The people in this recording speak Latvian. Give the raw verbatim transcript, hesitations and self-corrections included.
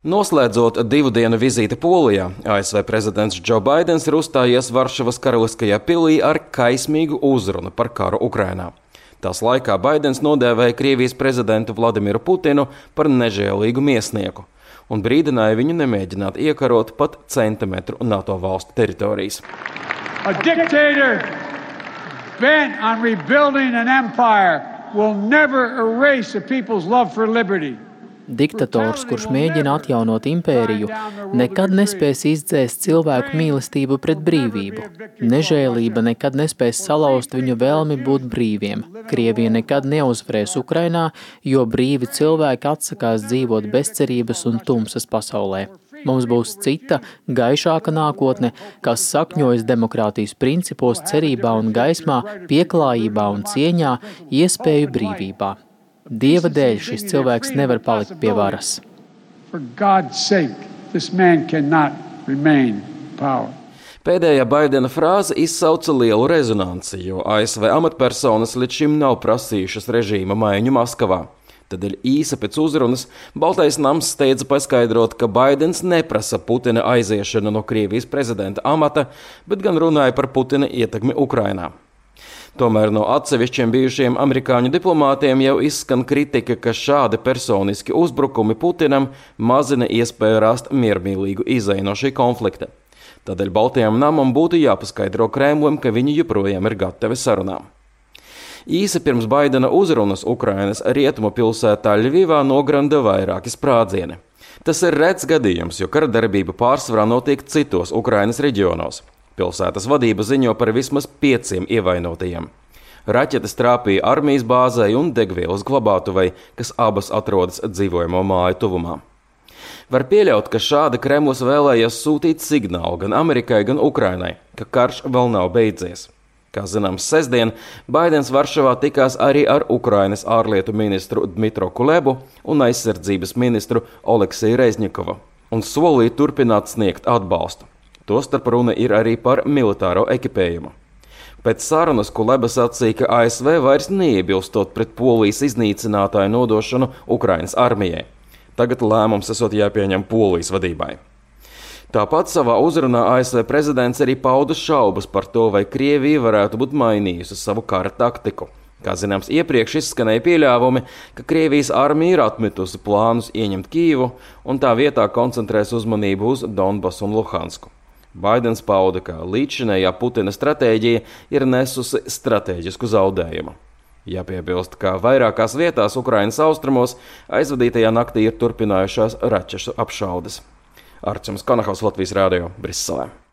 Noslēdzot divu dienu vizīti Polijā, A S V prezidents Džo Baidens ir uzstājies Varšavas Karaliskajā pilī ar kaismīgu uzrunu par karu Ukrainā. Tās laikā Baidens nodēvēja Krievijas prezidentu Vladimiru Putinu par nežēlīgu miesnieku un brīdināja viņu nemēģināt iekarot pat centimetru NATO valstu teritorijas. A dictator bent on rebuilding an empire will never erase a people's love for liberty. Diktators, kurš mēģina atjaunot impēriju, nekad nespēs izdzēst cilvēku mīlestību pret brīvību. Nežēlība nekad nespēs salauzt viņu vēlmi būt brīviem. Krievija nekad neuzvarēs Ukrainā, jo brīvi cilvēki atsakās dzīvot bezcerības un tumsas pasaulē. Mums būs cita, gaišāka nākotne, kas sakņojas demokrātijas principos, cerībā un gaismā, pieklājībā un cieņā, iespēju brīvībā. Dieva dēļ šis cilvēks nevar palikt pie varas. Pēdējā Baidena frāze izsauca lielu rezonanci, jo A S V amatpersonas līdz šim nav prasījušas režīma maiņu Maskavā. Tādēļ īsa pēc uzrunas Baltais nams steidza paskaidrot, ka Baidens neprasa Putina aiziešanu no Krievijas prezidenta amata, bet gan runāja par Putina ietekmi Ukrainā. Tomēr no atsevišķiem bijušiem amerikāņu diplomātiem jau izskan kritika, ka šādi personiski uzbrukumi Putinam mazina iespēju rast miermīlīgu izeju no šī konflikta. Tādēļ Baltajam namam būtu jāpaskaidro Kremlim, ka viņi joprojām ir gatavi sarunām. Īsi pirms Baidena uzrunas Ukrainas rietumu pilsētā Ļvivā nogranda vairāki sprādzieni. Tas ir rets gadījums, jo karadarbība pārsvarā notiek citos Ukrainas reģionos. Pilsētas vadība ziņo par vismaz pieciem ievainotajiem. Raķetes trāpīja armijas bāzei un degvielas glabātuvei, kas abas atrodas dzīvojamo māju tuvumā. Var pieļaut, ka šādi Kremlis vēlējies sūtīt signālu gan Amerikai, gan Ukrainai, ka karš vēl nav beidzies. Kā zināms, sestdien Baidens Varšavā tikās arī ar Ukrainas ārlietu ministru Dmitro Kulebu un aizsardzības ministru Oleksiju Rezņikovu un solīja turpināt sniegt atbalstu. Tostarp runa ir arī par militāro ekipējumu. Pēc sarunas Kuleba sacīja, ka A S V vairs neiebilstot pret Polijas iznīcinātāju nodošanu Ukrainas armijai. Tagad lēmums esot jāpieņem Polijas vadībai. Tāpat savā uzrunā A S V prezidents arī pauda šaubas par to, vai Krievija varētu būt mainījusi savu kara taktiku. Kā zināms, iepriekš izskanēja pieļāvumi, ka Krievijas armija ir atmetusi plānus ieņemt Kijevu un tā vietā koncentrēs uzmanību uz Donbasu un Luhansku. Baidens pauda, ka līdzšinējā Putina stratēģija ir nesusi stratēģisku zaudējumu. Jāpiebilst, ka vairākās vietās Ukrainas austrumos aizvadītajā naktī ir turpinājušās raķešu apšaudes. Arčuns Konahaus, Latvijas radio, Briselē.